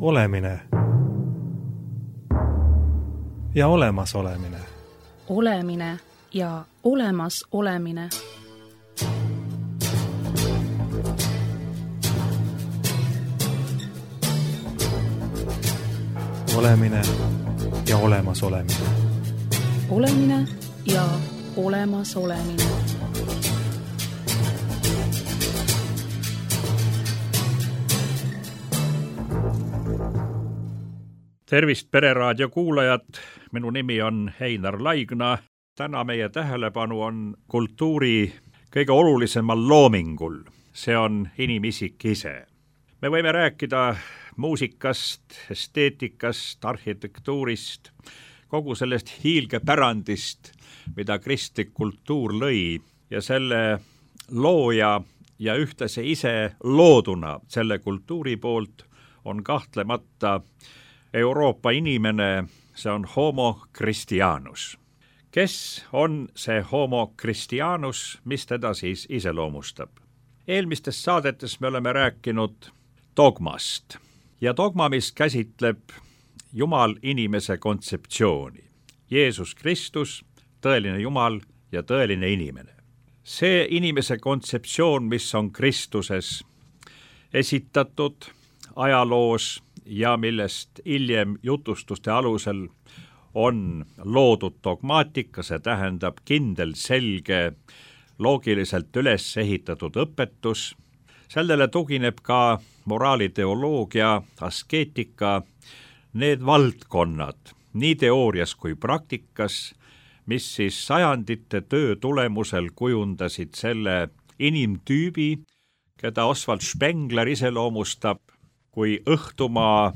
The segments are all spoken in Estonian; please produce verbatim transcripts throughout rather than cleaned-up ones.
Olemine ja olemas olemine. Olemine ja olemas olemine. Olemine ja olemas olemine. Olemine ja olemas olemine. Tervist Pereraadio kuulajad, minu nimi on Heinar Laigna. Täna meie tähelepanu on kultuuri kõige olulisemal loomingul. See on inimisik ise. Me võime rääkida muusikast, esteetikast, arhitektuurist, kogu sellest hiilgepärandist, mida kristlik kultuur lõi ja selle looja ja ühtlase ise looduna selle kultuuri poolt on kahtlemata Euroopa inimene, see on homo Christianus. Kes on see homo Christianus, mis teda siis iseloomustab? Eelmistes saadetes me oleme rääkinud dogmast ja dogma, mis käsitleb Jumal inimese kontseptsiooni. Jeesus Kristus, tõeline Jumal ja tõeline inimene. See inimese kontseptsioon, mis on Kristuses esitatud ajaloos ja millest hiljem jutustuste alusel on loodud dogmaatika, see tähendab kindel, selge, loogiliselt üles ehitatud õpetus. Sellele tugineb ka moraaliteoloogia, askeetika, need valdkonnad, nii teoorias kui praktikas, mis siis sajandite töö tulemusel kujundasid selle inimtüübi, keda Oswald Spengler iseloomustab kui õhtumaa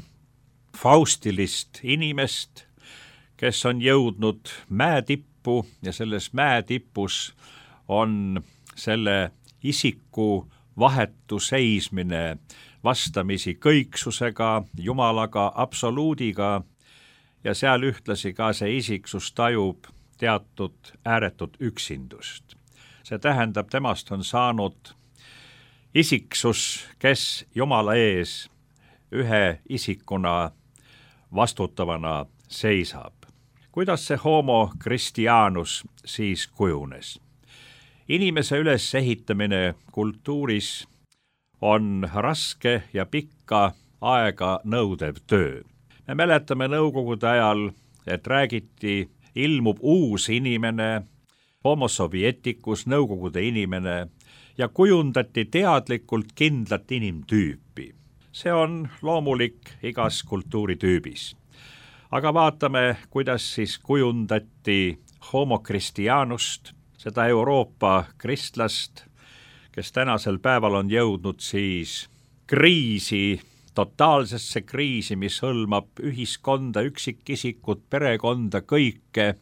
faustilist inimest, kes on jõudnud mäetippu ja selles mäetipus on selle isiku vahetu seismine vastamisi kõiksusega, Jumalaga, absoluudiga ja seal ühtlasi ka see isiksus tajub teatud ääretut üksindust. See tähendab, temast on saanud isiksus, kes Jumala ees ühe isikuna vastutavana seisab. Kuidas see homo Christianus siis kujunes? Inimese ülesehitamine kultuuris on raske ja pikka aega nõudev töö. Me mäletame nõukogude ajal, et räägiti, ilmub uus inimene, homo sovietikus, nõukogude inimene, ja kujundati teadlikult kindlat inimtüüpi. See on loomulik igas kultuuritüübis. Aga vaatame, kuidas siis kujundati homo Christianust, seda Euroopa kristlast, kes tänasel päeval on jõudnud siis kriisi, totaalsesse kriisi, mis hõlmab ühiskonda, üksikisikut, perekonda, kõike.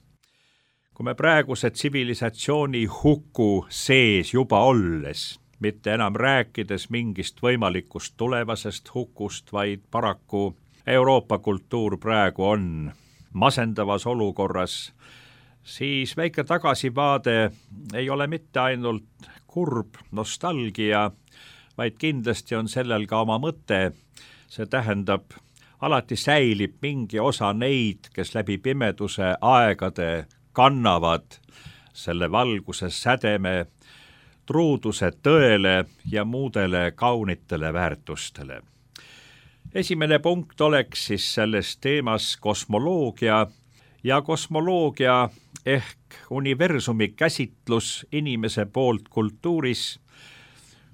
Kui me praeguse tsivilisatsiooni huku sees juba olles, mitte enam rääkides mingist võimalikust tulevasest hukust, vaid paraku Euroopa kultuur praegu on masendavas olukorras, siis väike tagasivaade ei ole mitte ainult kurb nostalgia, vaid kindlasti on sellel ka oma mõte. See tähendab, alati säilib mingi osa neid, kes läbi pimeduse aegade kannavad selle valguse sädeme, truuduse tõele ja muudele kaunitele väärtustele. Esimene punkt oleks siis selles teemas kosmoloogia ja kosmoloogia ehk universumi käsitlus inimese poolt kultuuris.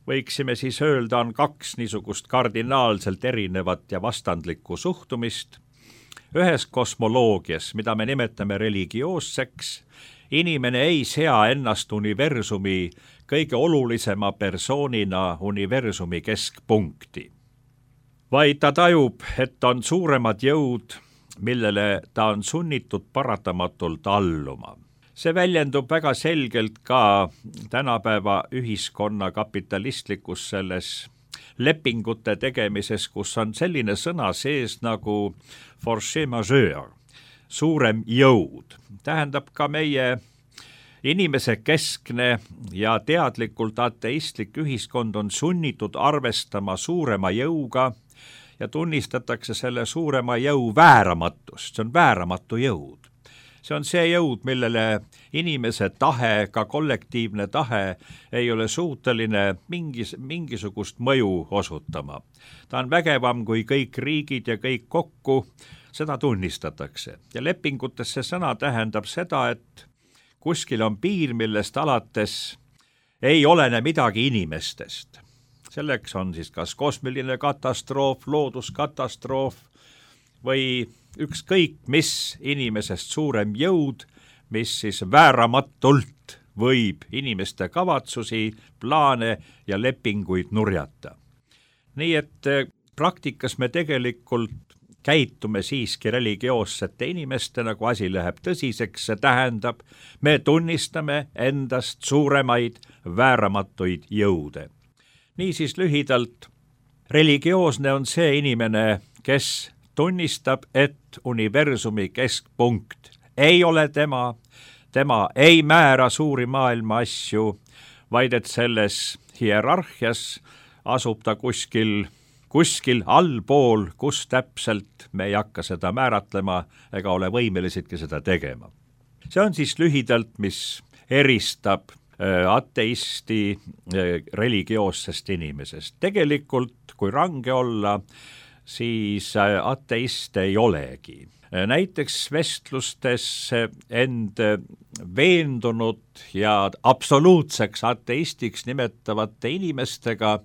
Võiksime siis öelda, on kaks niisugust kardinaalselt erinevat ja vastandlikku suhtumist. Ühes kosmoloogias, mida me nimetame religioosseks, inimene ei sea ennast universumi kõige olulisema persoonina universumi keskpunkti, vaid ta tajub, et on suuremad jõud, millele ta on sunnitud paratamatult alluma. See väljendub väga selgelt ka tänapäeva ühiskonna kapitalistlikus selles lepingute tegemises, kus on selline sõna sees nagu force majeure, suurem jõud. Tähendab ka meie inimese keskne ja teadlikult ateistlik ühiskond on sunnitud arvestama suurema jõuga ja tunnistatakse selle suurema jõu vääramatust, see on vääramatu jõud. See on see jõud, millele inimese tahe, ka kollektiivne tahe ei ole suuteline mingis, mingisugust mõju osutama. Ta on vägevam kui kõik riigid ja kõik kokku, seda tunnistatakse. Ja lepingutes see sõna tähendab seda, et kuskil on piir, millest alates ei olene midagi inimestest. Selleks on siis kas kosmiline katastroof, looduskatastroof või ükskõik mis inimesest suurem jõud, mis siis vääramatult võib inimeste kavatsusi, plaane ja lepinguid nurjata. Nii et praktikas me tegelikult käitume siiski religioossete inimestena, kui asi läheb tõsiseks, see tähendab, me tunnistame endast suuremaid vääramatuid jõude. Niisiis lühidalt, religioosne on see inimene, kes tunnistab, et universumi keskpunkt ei ole tema, tema ei määra suuri maailma asju, vaid et selles hierarhias asub ta kuskil, kuskil allpool, kus täpselt me ei hakka seda määratlema ega ole võimelisidki seda tegema. See on siis lühidalt, mis eristab ateisti religioossest inimesest. Tegelikult, kui range olla, siis ateist ei olegi. Näiteks vestlustes end veendunud ja absoluutseks ateistiks nimetavate inimestega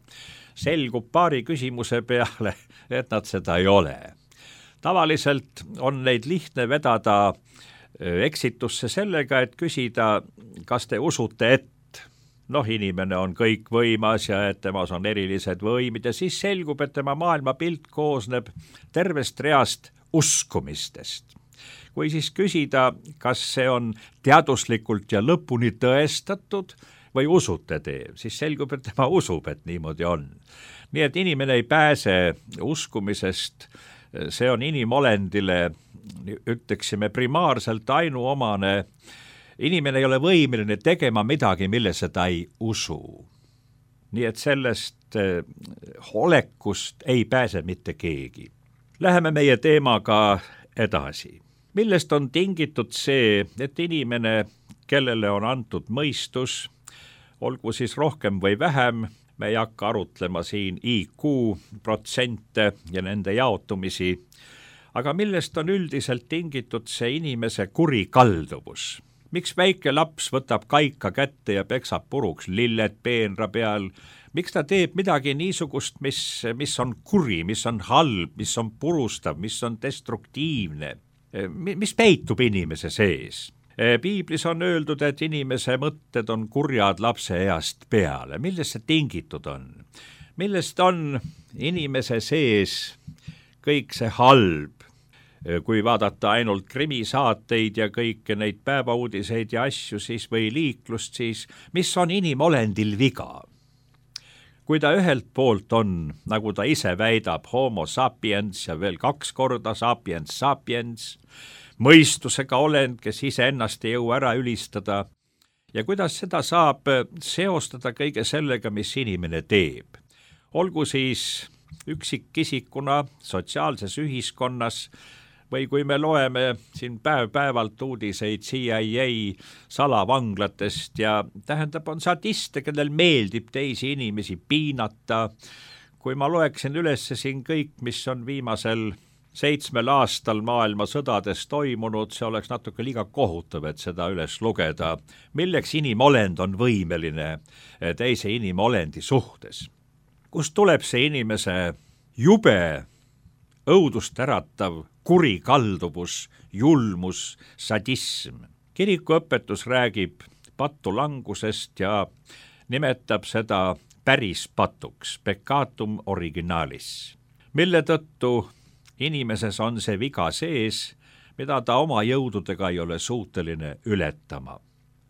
selgub paari küsimuse peale, et nad seda ei ole. Tavaliselt on neid lihtne vedada eksitusse sellega, et küsida, kas te usute, et noh, inimene on kõikvõimas ja et temas on erilised võimid ja siis selgub, et tema maailmapilt koosneb tervest reast uskumistest. Kui siis küsida, kas see on teaduslikult ja lõpuni tõestatud või usute te, siis selgub, et tema usub, et niimoodi on. Nii et inimene ei pääse uskumisest, see on inimolendile, ütleksime, primaarselt ainuomane. Inimene ei ole võimeline tegema midagi, millesse ta ei usu. Nii et sellest olekust ei pääse mitte keegi. Läheme meie teemaga edasi. Millest on tingitud see, et inimene, kellele on antud mõistus, olgu siis rohkem või vähem, me ei hakka arutlema siin I Q protsente ja nende jaotumisi, aga millest on üldiselt tingitud see inimese kurikalduvus? Miks väike laps võtab kaika kätte ja peksab puruks lilled peenra peal? Miks ta teeb midagi niisugust, mis, mis on kuri, mis on halb, mis on purustav, mis on destruktiivne? Mis peitub inimese sees? Piiblis on öeldud, et inimese mõtted on kurjad lapse east peale. Millest see tingitud on? Millest on inimese sees kõik see halb? Kui vaadata ainult krimisaateid ja kõiki neid päevauudiseid ja asju siis või liiklust, siis mis on inimolendil viga? Kui ta ühelt poolt on, nagu ta ise väidab, homo sapiens ja veel kaks korda sapiens sapiens, mõistusega olend, kes ise ennast ei jõua ära ülistada, ja kuidas seda saab seostada kõige sellega, mis inimene teeb. Olgu siis üksikisikuna sotsiaalses ühiskonnas, või kui me loeme siin päev-päevalt uudiseid C I A salavanglatest ja tähendab on sadiste, kellel meeldib teisi inimesi piinata. Kui ma loeksin üles siin kõik, mis on viimasel seitsmel aastal maailma sõdades toimunud, see oleks natuke liiga kohutav, et seda üles lugeda. Milleks inimolend on võimeline teise inimolendi suhtes? Kust tuleb see inimese jube, õudust äratav kurikalduvus, julmus, sadism? Kirikuõpetus räägib patulangusest ja nimetab seda päris patuks, peccatum originalis, mille tõttu inimeses on see viga sees, mida ta oma jõududega ei ole suuteline ületama.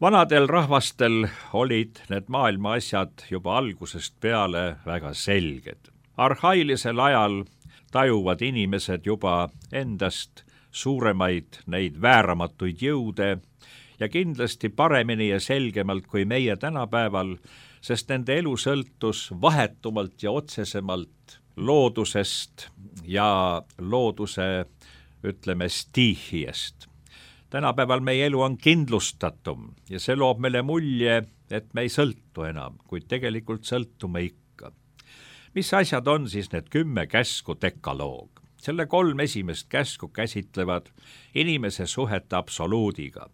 Vanadel rahvastel olid need maailma asjad juba algusest peale väga selged. Arhailisel ajal tajuvad inimesed juba endast suuremaid neid vääramatuid jõude ja kindlasti paremini ja selgemalt kui meie tänapäeval, sest nende elu sõltus vahetumalt ja otsesemalt loodusest, ja looduse, ütleme, stiihiest. Tänapäeval meie elu on kindlustatum ja see loob meile mulje, et me ei sõltu enam, kuid tegelikult sõltume ikka. Mis asjad on siis need kümme käsku dekaloog? Selle kolm esimest käsku käsitlevad inimese suhet absoluudiga.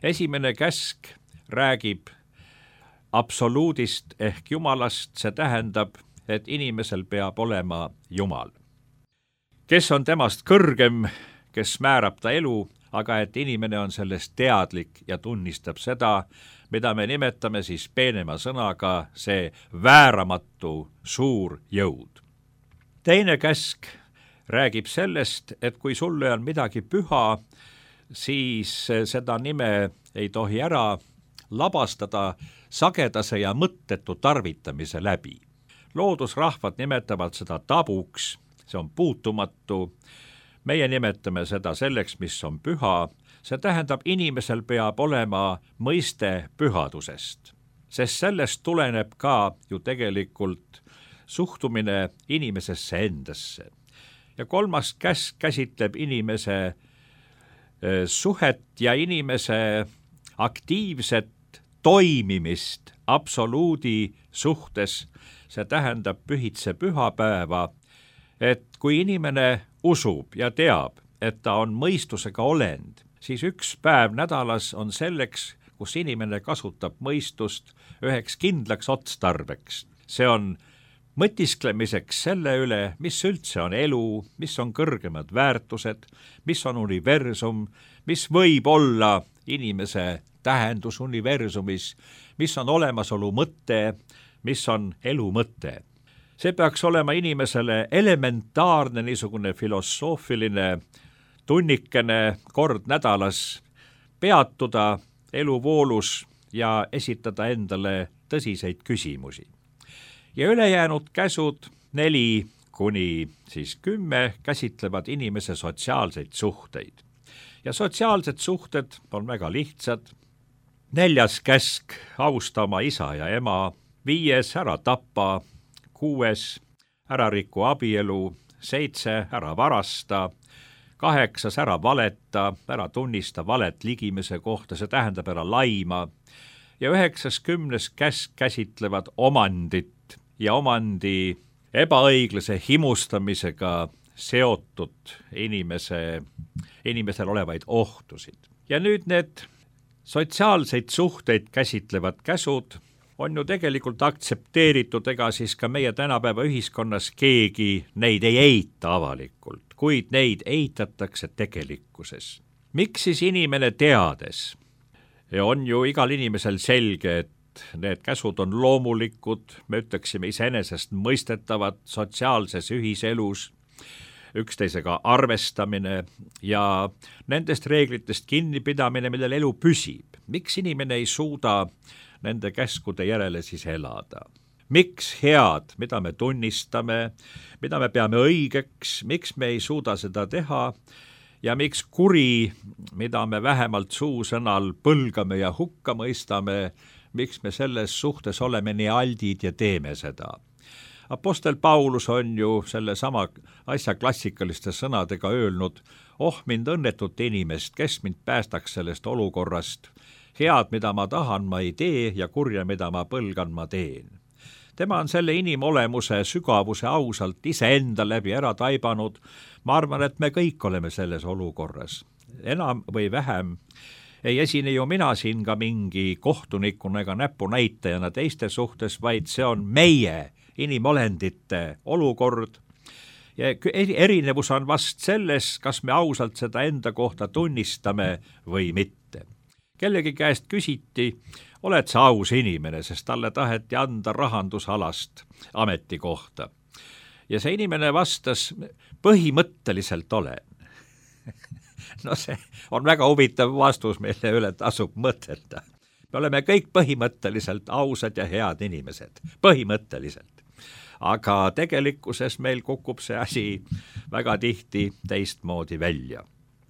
Esimene käsk räägib absoluudist ehk Jumalast, see tähendab, et inimesel peab olema Jumal. Kes on temast kõrgem, kes määrab ta elu, aga et inimene on sellest teadlik ja tunnistab seda, mida me nimetame siis peenema sõnaga see vääramatu suur jõud. Teine käsk räägib sellest, et kui sulle on midagi püha, siis seda nime ei tohi ära labastada sagedase ja mõttetu tarvitamise läbi. Loodusrahvad nimetavad seda tabuks, see on puutumatu, meie nimetame seda selleks, mis on püha, see tähendab, inimesel peab olema mõiste pühadusest, sest sellest tuleneb ka ju tegelikult suhtumine inimesesse endasse. Ja kolmas käsk käsitleb inimese suhet ja inimese aktiivset toimimist absoluudi suhtes, see tähendab pühitse pühapäeva, et kui inimene usub ja teab, et ta on mõistusega olend, siis üks päev nädalas on selleks, kus inimene kasutab mõistust üheks kindlaks otstarbeks. See on mõtisklemiseks selle üle, mis üldse on elu, mis on kõrgemad väärtused, mis on universum, mis võib olla inimese tähendus universumis, mis on olemasolu mõte, mis on elu mõte. See peaks olema inimesele elementaarne niisugune filosoofiline tunnikene kord nädalas peatuda eluvoolus ja esitada endale tõsiseid küsimusi. Ja ülejäänud käsud neli kuni siis kümme käsitlevad inimese sotsiaalseid suhteid. Ja sotsiaalsed suhted on väga lihtsad. Neljas käsk, austa oma isa ja ema, viies, ära tapa, kuues, ära riku abielu, seitse, ära varasta, kaheksas, ära valeta, ära tunnista valet ligimese kohta, see tähendab ära laima, ja üheksas, kümnes käsk käsitlevad omandit ja omandi ebaõiglase himustamisega seotud inimese, inimesel olevaid ohtusid. Ja nüüd need sotsiaalseid suhteid käsitlevad käsud on ju tegelikult aktsepteeritud, ega siis ka meie tänapäeva ühiskonnas keegi neid ei eita avalikult, kuid neid eitatakse tegelikkuses. Miks siis inimene teades? On ju igal inimesel selge, et need käsud on loomulikud, me ütleksime iseenesest mõistetavad sotsiaalses ühiselus, üksteisega arvestamine ja nendest reeglitest kinnipidamine, millel elu püsib. Miks inimene ei suuda nende käskude järele siis elada? Miks head, mida me tunnistame, mida me peame õigeks, miks me ei suuda seda teha ja miks kuri, mida me vähemalt suusõnal põlgame ja hukka mõistame, miks me selles suhtes oleme nii aldid ja teeme seda. Apostel Paulus on ju selle sama asja klassikaliste sõnadega öelnud, oh mind õnnetut inimest, kes mind päästaks sellest olukorrast, head, mida ma tahan, ma ei tee ja kurja, mida ma põlgan, ma teen. Tema on selle inimolemuse sügavuse ausalt iseenda läbi ära taibanud. Ma arvan, et me kõik oleme selles olukorras. Enam või vähem ei esine ju mina siin ka mingi kohtunikuna ega näpunäitajana teiste suhtes, vaid see on meie inimolendite olukord. Ja erinevus on vast selles, kas me ausalt seda enda kohta tunnistame või mitte. Kellegi käest küsiti, oled sa aus inimene, sest talle taheti anda rahandusalast ametikohta. Ja see inimene vastas, põhimõtteliselt olen. No see on väga huvitav vastus, mille üle tasub mõtelda. Me oleme kõik põhimõtteliselt ausad ja head inimesed. Põhimõtteliselt. Aga tegelikkuses meil kukub see asi väga tihti teistmoodi välja.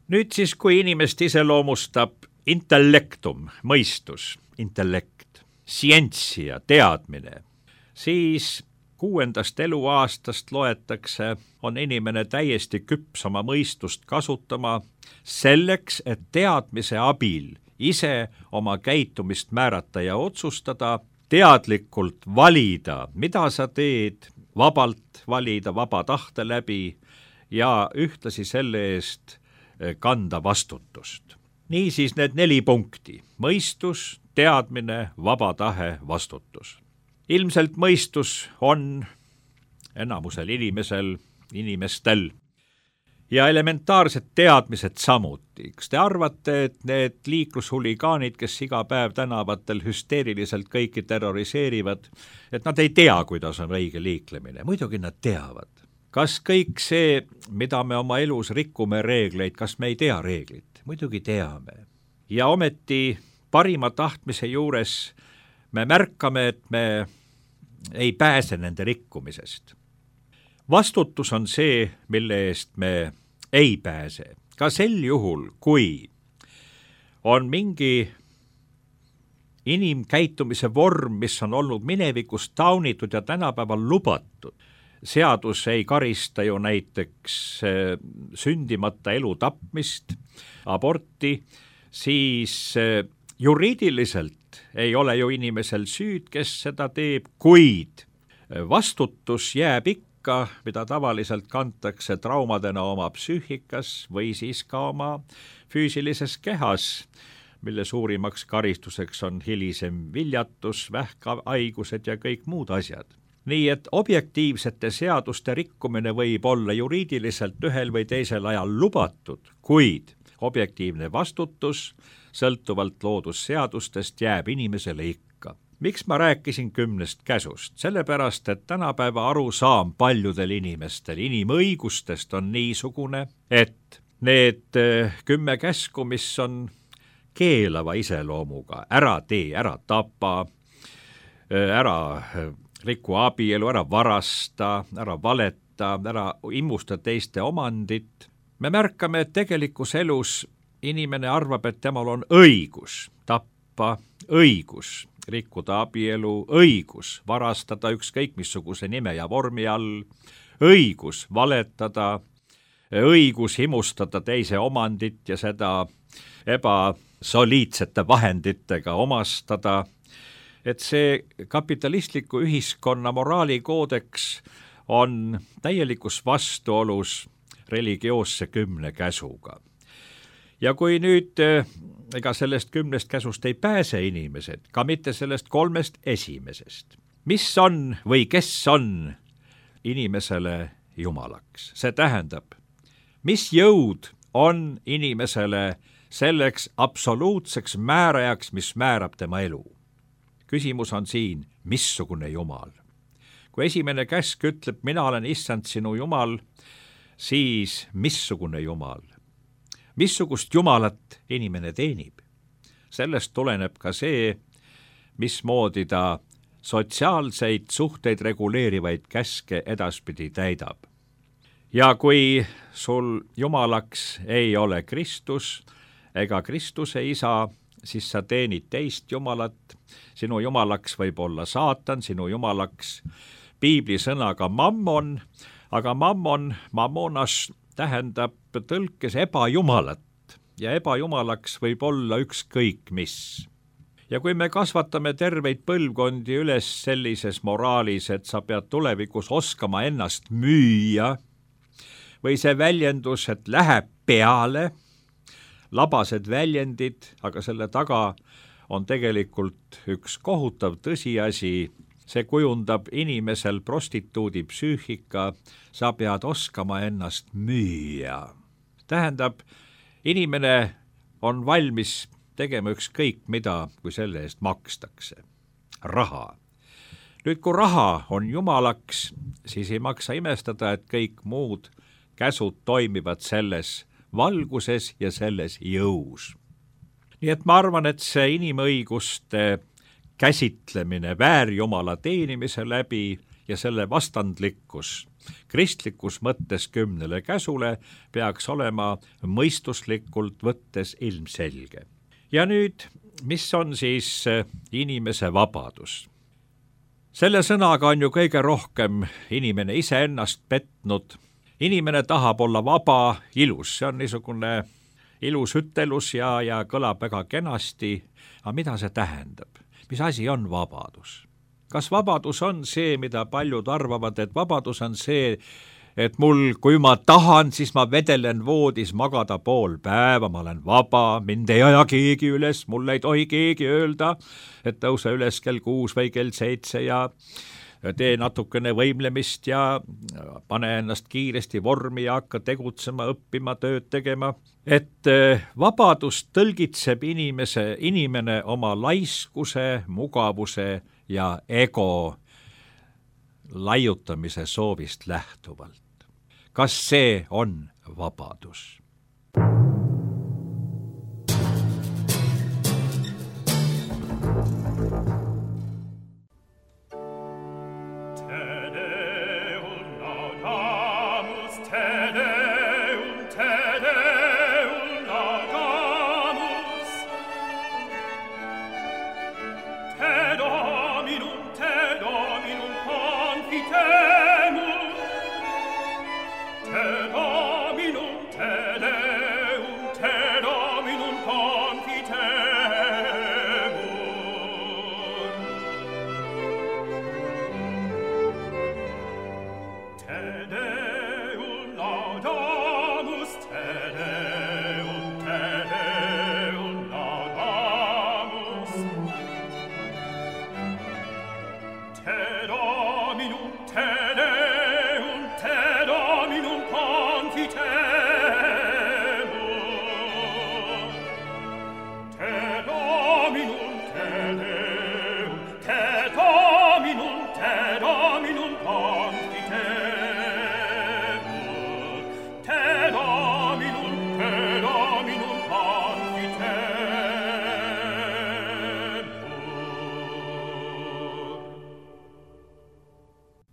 Nüüd siis, kui inimest iseloomustab intellektum, mõistus, intellekt, sientsia, teadmine, siis kuuendast eluaastast loetakse, on inimene täiesti küps oma mõistust kasutama selleks, et teadmise abil ise oma käitumist määrata ja otsustada, teadlikult valida, mida sa teed, vabalt valida vaba tahte läbi ja ühtlasi selle eest kanda vastutust. Niisiis need neli punkti: mõistus, teadmine, vaba tahe, vastutus. Ilmselt mõistus on enamusel inimesel, inimestel ja elementaarsed teadmised samuti. Kas te arvate, et need liiklushuligaanid, kes iga päev tänavatel hüsteeriliselt kõiki terroriseerivad, et nad ei tea, kuidas on õige liiklemine? Muidugi nad teavad. Kas kõik see, mida me oma elus rikume reegleid, kas me ei tea reeglit? Muidugi teame. Ja ometi parima tahtmise juures me märkame, et me ei pääse nende rikkumisest. Vastutus on see, mille eest me ei pääse. Ka sel juhul, kui on mingi inimkäitumise vorm, mis on olnud minevikus taunitud ja tänapäeval lubatud. Seadus ei karista ju näiteks sündimata elu tapmist, aborti, siis juriidiliselt ei ole ju inimesel süüd, kes seda teeb, kuid vastutus jääb ikka, mida tavaliselt kantakse traumadena oma psüühikas või siis ka oma füüsilises kehas, mille suurimaks karistuseks on hilisem viljatus, vähkhaigused ja kõik muud asjad. Nii et objektiivsete seaduste rikkumine võib olla juriidiliselt ühel või teisel ajal lubatud, kuid objektiivne vastutus sõltuvalt loodusseadustest jääb inimesele ikka. Miks ma rääkisin kümnest käsust? Sellepärast, et tänapäeva arusaam paljudel inimestel inimõigustest on niisugune, et need kümme käsku, mis on keelava iseloomuga, ära tee, ära tapa, ära riku abielu, ära varasta, ära valeta, ära immusta teiste omandit. Me märkame, et tegelikus elus inimene arvab, et temal on õigus tappa, õigus rikkuda abielu, õigus varastada ükskõik missuguse nime ja vormi all, õigus valetada, õigus himustada teise omandit ja seda ebasoliidsete vahenditega omastada. Et see kapitalistliku ühiskonna moraalikoodeks on täielikus vastuolus religioosse kümne käsuga. Ja kui nüüd ega sellest kümnest käsust ei pääse inimesed, ka mitte sellest kolmest esimesest, mis on või kes on inimesele jumalaks? See tähendab, mis jõud on inimesele selleks absoluutseks määrajaks, mis määrab tema elu? Küsimus on siin, missugune jumal. Kui esimene käsk ütleb, mina olen issand sinu jumal, siis missugune jumal? Missugust jumalat inimene teenib? Sellest tuleneb ka see, mismoodi ta sotsiaalseid suhteid reguleerivaid käske edaspidi täidab. Ja kui sul jumalaks ei ole Kristus ega Kristuse isa, siis sa teenid teist jumalat. Sinu jumalaks võib olla saatan, sinu jumalaks piibli sõnaga mammon, aga mammon, mammonas tähendab tõlkes ebajumalat ja ebajumalaks võib olla ükskõik mis. Ja kui me kasvatame terveid põlvkondi üles sellises moraalis, et sa pead tulevikus oskama ennast müüa, või see väljendus, et läheb peale, labased väljendid, aga selle taga on tegelikult üks kohutav tõsiasi, see kujundab inimesel prostituudi psüühika, sa pead oskama ennast müüa. Tähendab, inimene on valmis tegema ükskõik mida, kui selle eest makstakse. Raha. Nüüd, kui raha on jumalaks, siis ei maksa imestada, et kõik muud käsud toimivad selles valguses ja selles jõus. Nii et ma arvan, et see inimõiguste käsitlemine väärjumala teenimise läbi ja selle vastandlikkus kristlikus mõttes kümnele käsule peaks olema mõistuslikult võttes ilmselge. Ja nüüd, mis on siis inimese vabadus? selle sõnaga on ju kõige rohkem inimene iseennast petnud. Inimene tahab olla vaba, ilus, see on niisugune ilus ütelus ja, ja kõlab väga kenasti, aga mida see tähendab? Mis asi on vabadus? Kas vabadus on see, mida paljud arvavad, et vabadus on see, et mul, kui ma tahan, siis ma vedelen voodis magada pool päeva, ma olen vaba, mind ei aja keegi üles, mul ei tohi keegi öelda, et tõuse üles kell kuus või kell seitse ja tee natukene võimlemist ja pane ennast kiiresti vormi ja hakka tegutsema, õppima, tööd tegema. Et vabadus tõlgitseb inimese, inimene oma laiskuse, mugavuse ja ego laiutamise soovist lähtuvalt. Kas see on vabadus?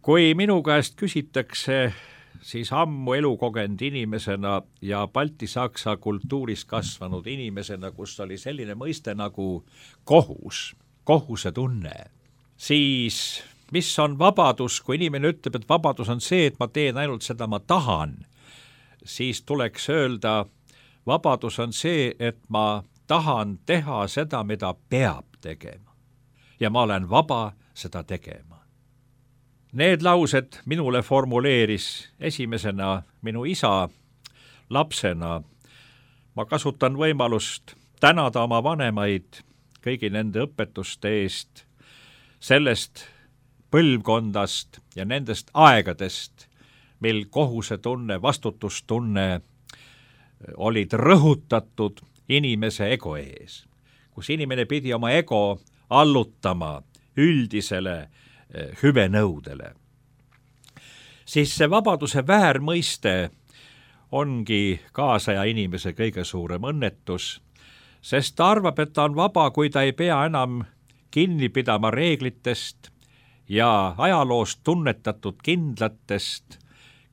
Kui minu käest küsitakse, siis ammu elukogenud inimesena ja balti-saksa kultuuris kasvanud inimesena, kus oli selline mõiste nagu kohus, kohuse tunne, siis mis on vabadus, kui inimene ütleb, et vabadus on see, et ma teen ainult seda, ma tahan, siis tuleks öelda, vabadus on see, et ma tahan teha seda, mida peab tegema. Ja ma olen vaba seda tegema. Need laused minule formuleeris esimesena minu isa lapsena. Ma kasutan võimalust tänada oma vanemaid kõigi nende õpetuste eest, sellest põlvkondast ja nendest aegadest, mil kohusetunne, vastutustunne olid rõhutatud inimese ego ees, kus inimene pidi oma ego allutama üldisele hüvenõudele. Siis see vabaduse väärmõiste ongi kaasaja inimese kõige suurem õnnetus, sest ta arvab, et ta on vaba, kui ta ei pea enam kinni pidama reeglitest ja ajaloost tunnetatud kindlatest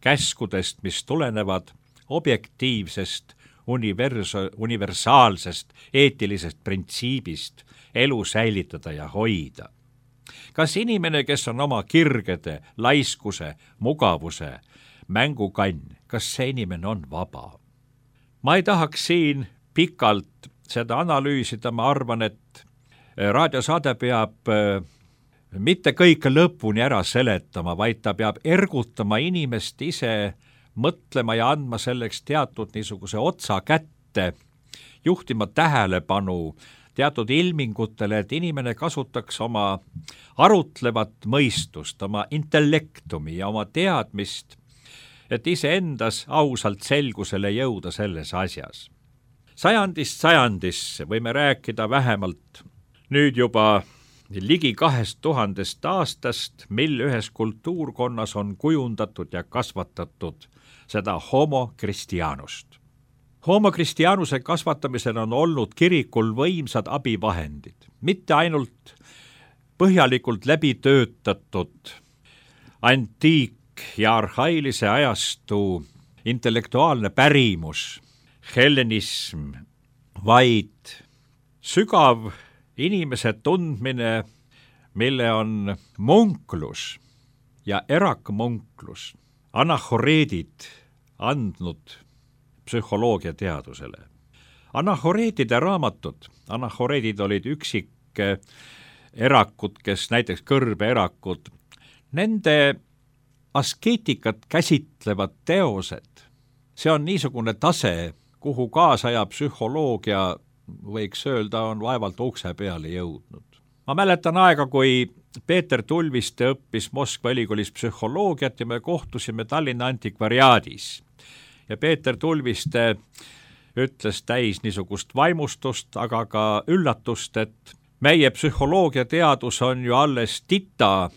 käskudest, mis tulenevad objektiivsest, universa- universaalsest, eetilisest printsiibist elu säilitada ja hoida. Kas inimene, kes on oma kirgede, laiskuse, mugavuse, mängukann, kas see inimene on vaba? Ma ei tahaks siin pikalt seda analüüsida, ma arvan, et raadiosaade peab mitte kõike lõpuni ära seletama, vaid ta peab ergutama inimest ise mõtlema ja andma selleks teatud niisuguse otsa kätte, juhtima tähelepanu teatud ilmingutele, et inimene kasutaks oma arutlevat mõistust, oma intellektumi ja oma teadmist, et iseendas ausalt selgusele jõuda selles asjas. Sajandist sajandisse võime rääkida vähemalt nüüd juba ligi kahest tuhandest aastast, mil ühes kultuurkonnas on kujundatud ja kasvatatud seda homo Christianust. Homo Christianuse kasvatamisel on olnud kirikul võimsad abivahendid, mitte ainult põhjalikult läbi töötatud antiik- ja arhailise ajastu intellektuaalne pärimus, hellenism, vaid sügav inimese tundmine, mille on munklus ja erakmunklus, anahoreedid andnud psühholoogia teadusele. Anahoreetide raamatud, anahoreedid olid üksik erakud, kes näiteks kõrbeerakud, nende askeetikat käsitlevad teosed, see on niisugune tase, kuhu kaasaja psühholoogia, võiks öelda, on vaevalt ukse peale jõudnud. Ma mäletan aega, kui Peeter Tulviste õppis Moskva ülikoolis psühholoogiat ja me kohtusime Tallinna antikvariaadis. Ja Peeter Tulviste ütles täis niisugust vaimustust, aga ka üllatust, et meie psühholoogia teadus on ju alles tita,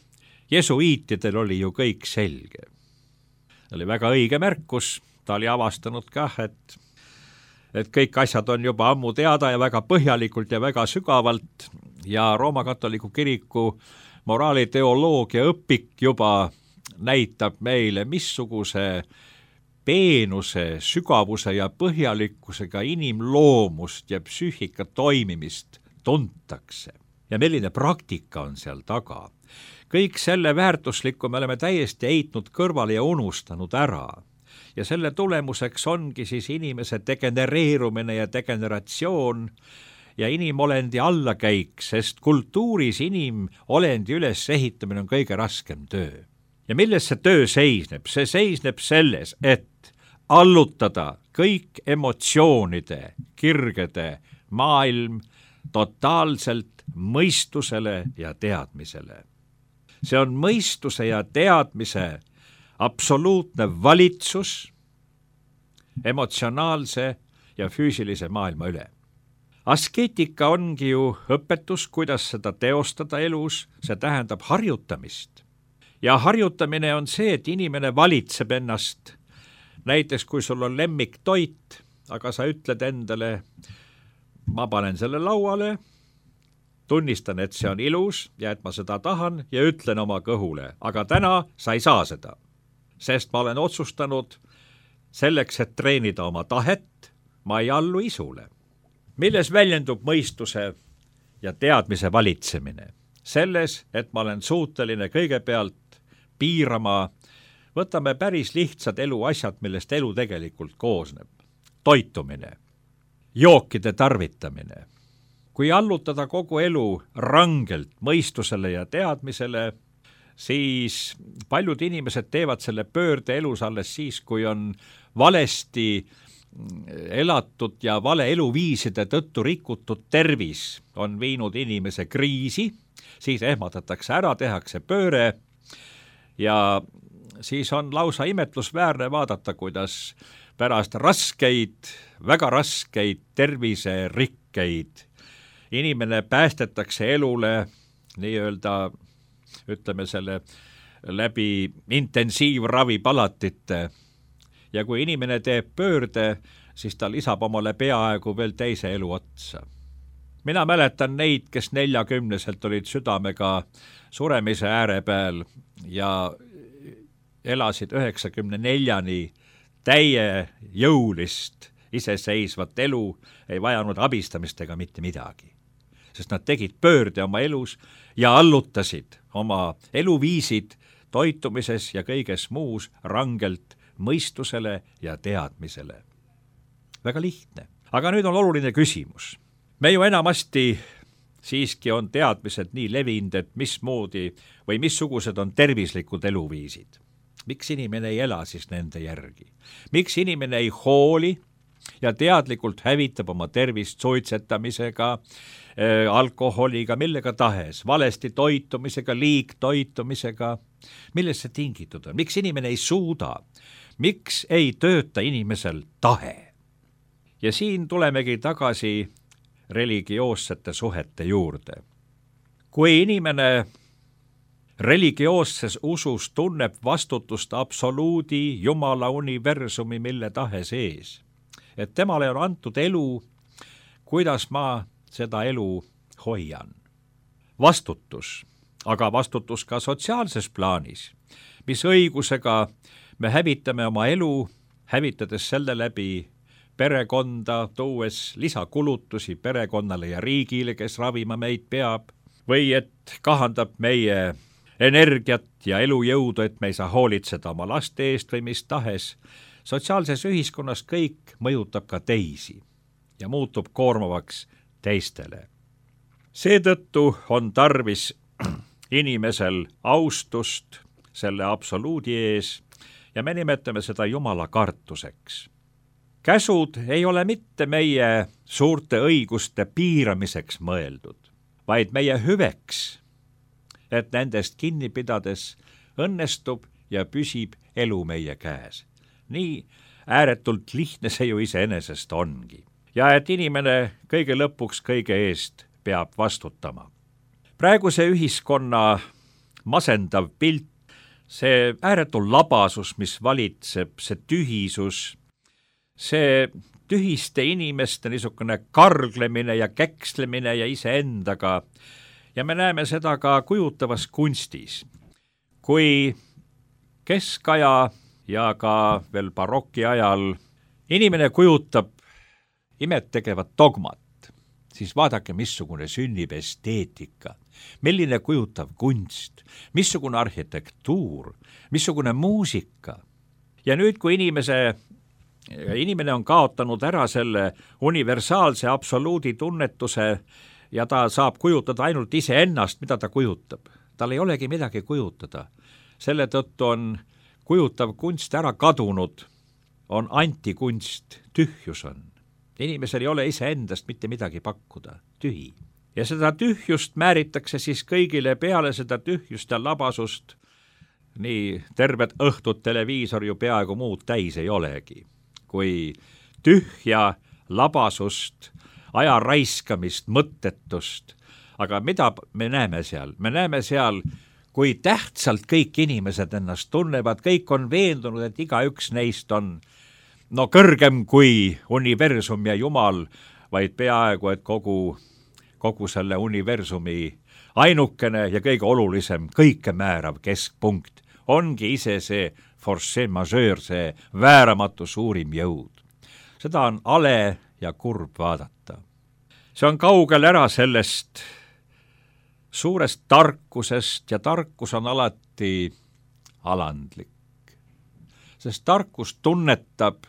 jesuiitidel oli ju kõik selge. Oli väga õige märkus, ta oli avastanud kah, et, et kõik asjad on juba ammu teada ja väga põhjalikult ja väga sügavalt ja Rooma katoliku kiriku moraaliteoloogia õpik juba näitab meile, missuguse peenuse, sügavuse ja põhjalikkusega inimloomust ja psüühika toimimist tuntakse. Ja milline praktika on seal taga. Kõik selle väärtuslikku me oleme täiesti heitnud kõrvale ja unustanud ära. Ja selle tulemuseks ongi siis inimese degenereerumine ja degeneratsioon ja inimolendi allakäik, sest kultuuris inimolendi ülesehitamine on kõige raskem töö. Ja milles see töö seisneb? See seisneb selles, et allutada kõik emotsioonide, kirgede maailm totaalselt mõistusele ja teadmisele. See on mõistuse ja teadmise absoluutne valitsus emotsionaalse ja füüsilise maailma üle. Askeetika ongi ju õpetus, kuidas seda teostada elus, see tähendab harjutamist. Ja harjutamine on see, et inimene valitseb ennast. Näiteks, kui sul on lemmiktoit, aga sa ütled endale, ma panen selle lauale, tunnistan, et see on ilus ja et ma seda tahan ja ütlen oma kõhule, aga täna sa ei saa seda, sest ma olen otsustanud selleks, et treenida oma tahet, ma ei allu isule. Milles väljendub mõistuse ja teadmise valitsemine? Selles, et ma olen suuteline kõigepealt piirama, võtame päris lihtsad eluasjad, millest elu tegelikult koosneb. Toitumine, jookide tarvitamine. Kui allutada kogu elu rangelt mõistusele ja teadmisele, siis paljud inimesed teevad selle pöörde elus alles siis, kui on valesti elatud ja vale eluviiside tõttu rikutud tervis on viinud inimese kriisi, siis ehmatatakse ära, tehakse pööre ja siis on lausa imetlusväärne vaadata, kuidas pärast raskeid, väga raskeid terviserikkeid inimene päästetakse elule nii-öelda, ütleme selle läbi intensiivravipalatite ja kui inimene teeb pöörde, siis ta lisab omale peaaegu veel teise elu otsa. Mina mäletan neid, kes neljakümneselt olid südamega suremise ääre peal ja elasid üheksakümne neljani täie jõulist iseseisvat elu, ei vajanud abistamist ega mitte midagi. Sest nad tegid pöörde oma elus ja allutasid oma eluviisid toitumises ja kõiges muus rangelt mõistusele ja teadmisele. Väga lihtne. Aga nüüd on oluline küsimus. Me ju enamasti siiski on teadmised nii levinud, et mismoodi või missugused on tervislikud eluviisid. Miks inimene ei ela siis nende järgi? Miks inimene ei hooli ja teadlikult hävitab oma tervist suitsetamisega, äh, alkoholiga, millega tahes, valesti toitumisega, liigtoitumisega? Millest see tingitud on? Miks inimene ei suuda? Miks ei tööta inimesel tahe? Ja siin tulemegi tagasi religioossete suhete juurde. Kui inimene religioosses usus tunneb vastutust absoluudi, Jumala universumi, mille tahes ees, et temale on antud elu, kuidas ma seda elu hoian. Vastutus, aga vastutus ka sotsiaalses plaanis, mis õigusega me hävitame oma elu, hävitades selle läbi perekonda, tuues lisakulutusi perekonnale ja riigile, kes ravima meid peab, või et kahandab meie energiat ja elujõudu, et me ei saa hoolitseda oma laste eest või mis tahes. Sotsiaalses ühiskonnas kõik mõjutab ka teisi ja muutub koormavaks teistele. Seetõttu on tarvis inimesel austust selle absoluudi ees ja me nimetame seda Jumala kartuseks. Käsud ei ole mitte meie suurte õiguste piiramiseks mõeldud, vaid meie hüveks, et nendest kinni pidades õnnestub ja püsib elu meie käes. Nii ääretult lihtne see ju iseenesest ongi. Ja et inimene kõige lõpuks kõige eest peab vastutama. Praeguse ühiskonna masendav pilt, see ääretu labasus, mis valitseb, see tühisus, see tühiste inimeste niisugune karglemine ja käkslemine ja iseendaga. Ja me näeme seda ka kujutavas kunstis. Kui keskaja ja ka veel baroki ajal inimene kujutab imet tegevat dogmat, siis vaadake, missugune sünnib esteetika, milline kujutav kunst, missugune arhitektuur, missugune muusika. Ja nüüd, kui inimese, inimene on kaotanud ära selle universaalse absoluudi tunnetuse ja ta saab kujutada ainult iseennast, mida ta kujutab. Tal ei olegi midagi kujutada. Selle tõttu on kujutav kunst ära kadunud, on antikunst, tühjus on. Inimesel ei ole iseendast mitte midagi pakkuda, tühi. Ja seda tühjust määritakse siis kõigile peale, seda tühjust ja labasust. Nii terved õhtud televiisor ju peaaegu muud täis ei olegi. Kui tühja labasust, aja raiskamist, mõttetust. Aga mida me näeme seal? Me näeme seal, kui tähtsalt kõik inimesed ennast tunnevad, kõik on veendunud, et igaüks neist on no kõrgem kui universum ja Jumal, vaid peaaegu, et kogu, kogu selle universumi ainukene ja kõige olulisem, kõike määrav keskpunkt ongi ise see force majeure, see vääramatu suurim jõud. Seda on ale ja kurb vaadata. See on kaugel ära sellest suurest tarkusest ja tarkus on alati alandlik. Sest tarkus tunnetab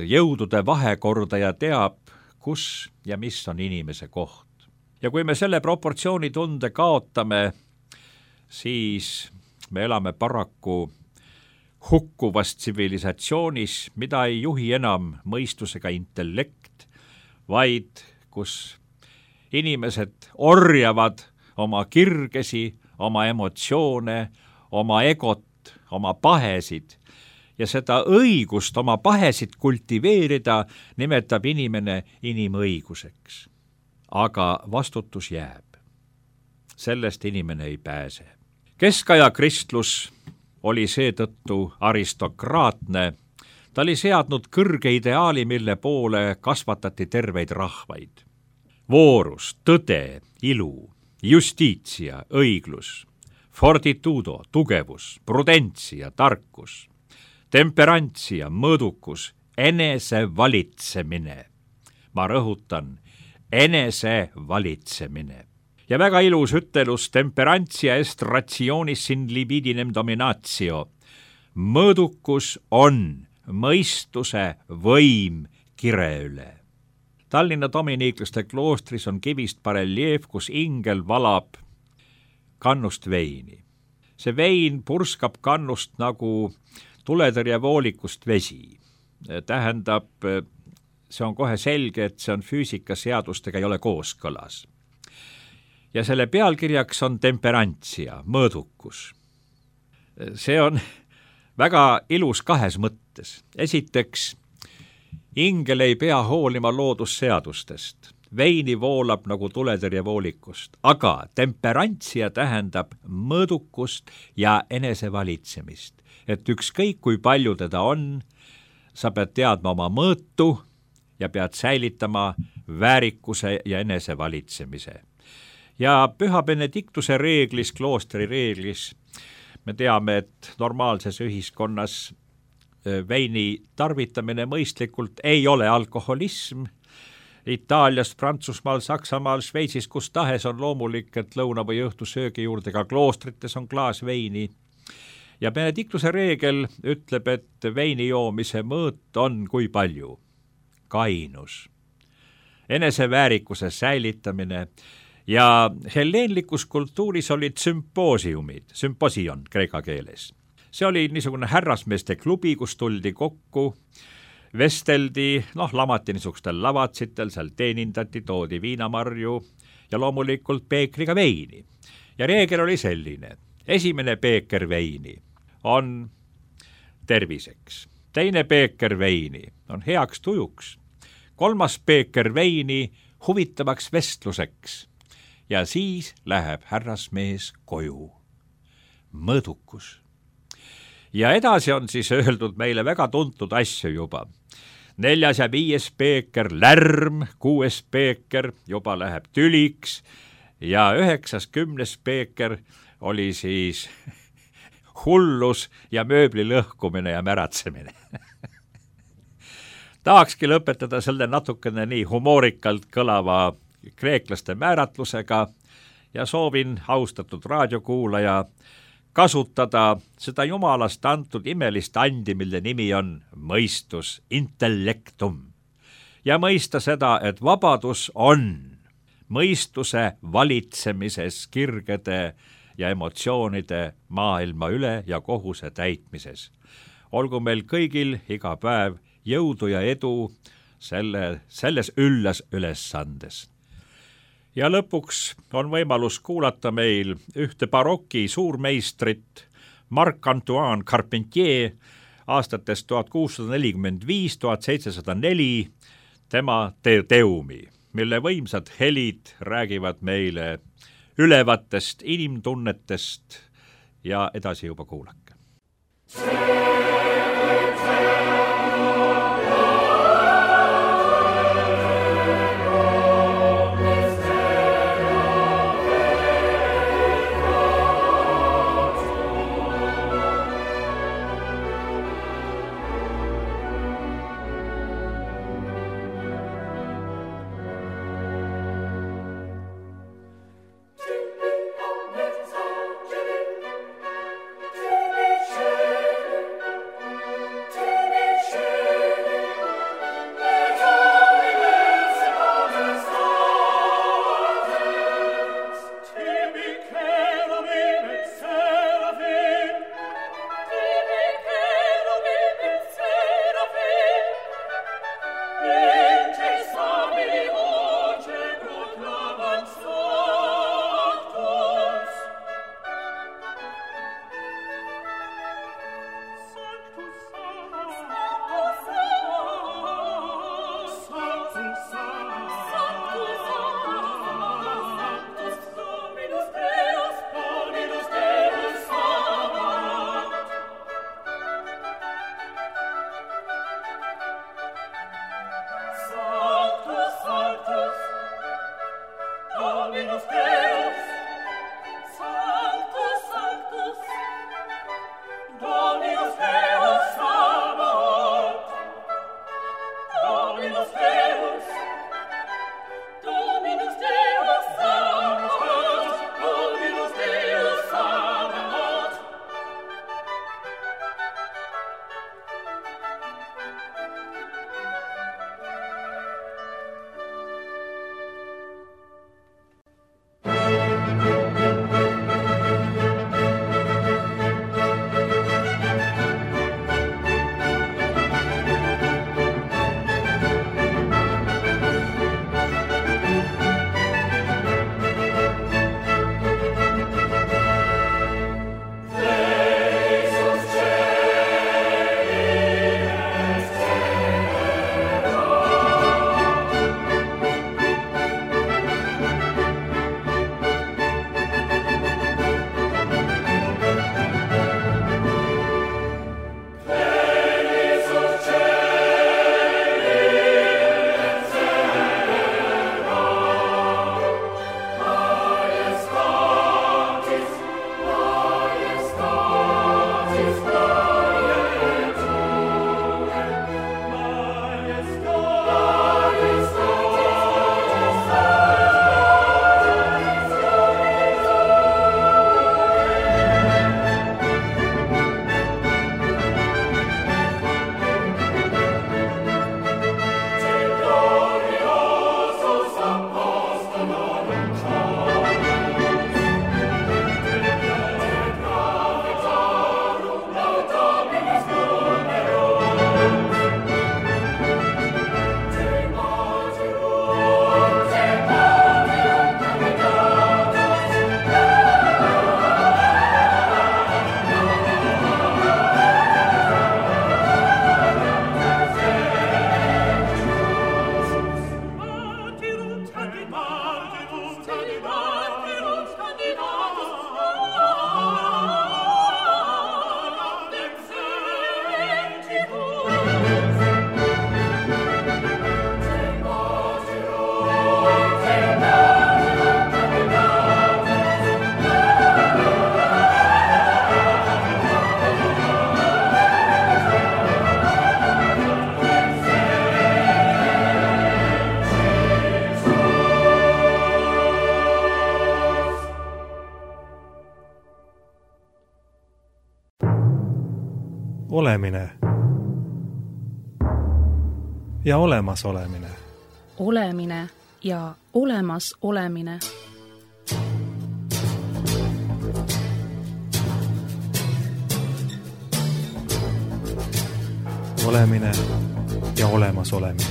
jõudude vahekorda ja teab, kus ja mis on inimese koht. Ja kui me selle proportsiooni tunde kaotame, siis me elame paraku hukkuvas tsivilisatsioonis, mida ei juhi enam mõistusega intellekt, vaid kus inimesed orjavad oma kirgesi, oma emotsioone, oma egot, oma pahesid. Ja seda õigust oma pahesid kultiveerida nimetab inimene inimõiguseks. Aga vastutus jääb. Sellest inimene ei pääse. Keskaja kristlus oli seetõttu aristokraatne. Ta oli seadnud kõrge ideaali, mille poole kasvatati terveid rahvaid. Voorus, tõde, ilu, justitia, õiglus, fortitudo, tugevus, prudentsia, tarkus, temperantsia, mõõdukus, enese valitsemine. Ma rõhutan, enese valitsemine. Ja väga ilus ütelus temperantsia est rationis in libidinem dominatio. Mõõdukus on mõistuse võim kire üle. Tallinna dominiiklaste kloostris on kivist bareljeef, kus ingel valab kannust veini. See vein purskab kannust nagu tuletõrjevoolikust vesi. Tähendab, see on kohe selge, et see on füüsikaseadustega ei ole kooskõlas. Ja selle pealkirjaks on temperantsia, mõõdukus. See on väga ilus kahes mõttes. Esiteks, ingel ei pea hoolima loodusseadustest. Veini voolab nagu tuletõrjevoolikust, aga temperantsia tähendab mõõdukust ja enesevalitsemist. Et ükskõik kui palju teda on, sa pead teadma oma mõõtu ja pead säilitama väärikuse ja enesevalitsemise. Ja Püha Benediktuse reeglis, kloostri reeglis, me teame, et normaalses ühiskonnas veini tarvitamine mõistlikult ei ole alkoholism Itaaliast, Prantsusmaal, Saksamaal, Šveitsis, kus tahes on loomulik, et lõuna või õhtusöögi juurde ka kloostrites on klaas veini. Ja Benediktuse reegel ütleb, et veini joomise mõõt on kui palju? Kainus, eneseväärikuse säilitamine ja helleenlikus kultuuris olid sümpoosiumid, sümposion kreeka keeles. See oli niisugune härrasmeeste klubi, kus tuldi kokku, vesteldi, noh, lamati niisugustel lavatsitel, seal teenindati, toodi viinamarju ja loomulikult peekriga veini. Ja reegel oli selline, esimene peeker veini on terviseks, teine peeker veini on heaks tujuks, kolmas peeker veini huvitavaks vestluseks ja siis läheb härrasmees koju. Mõõdukus. Ja edasi on siis öeldud meile väga tuntud asju juba. Neljas ja viies peeker lärm, kuues peeker juba läheb tüliks ja üheksas kümnes peeker oli siis hullus ja mööbli lõhkumine ja märatsemine. Tahakski lõpetada selle natukene nii humoorikalt kõlava kreeklaste määratlusega ja soovin, austatud raadiokuulaja, kasutada seda jumalast antud imelist andi, mille nimi on mõistus, intellektum. Ja mõista seda, et vabadus on mõistuse valitsemises kirgede ja emotsioonide maailma üle ja kohuse täitmises. Olgu meil kõigil iga päev jõudu ja edu selle, selles üllas ülesandes. Ja lõpuks on võimalus kuulata meil ühte baroki suurmeistrit Marc-Antoine Carpentier aastatest tuhat kuussada nelikümmend viis tuhat seitsesada neli tema te teumi, mille võimsad helid räägivad meile ülevatest inimtunnetest ja edasi juba kuulake. olemine ja olemasolemine. Olemine ja olemas olemine. Olemine ja olemas olemine.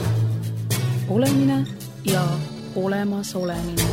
Olemine ja olemas olemine.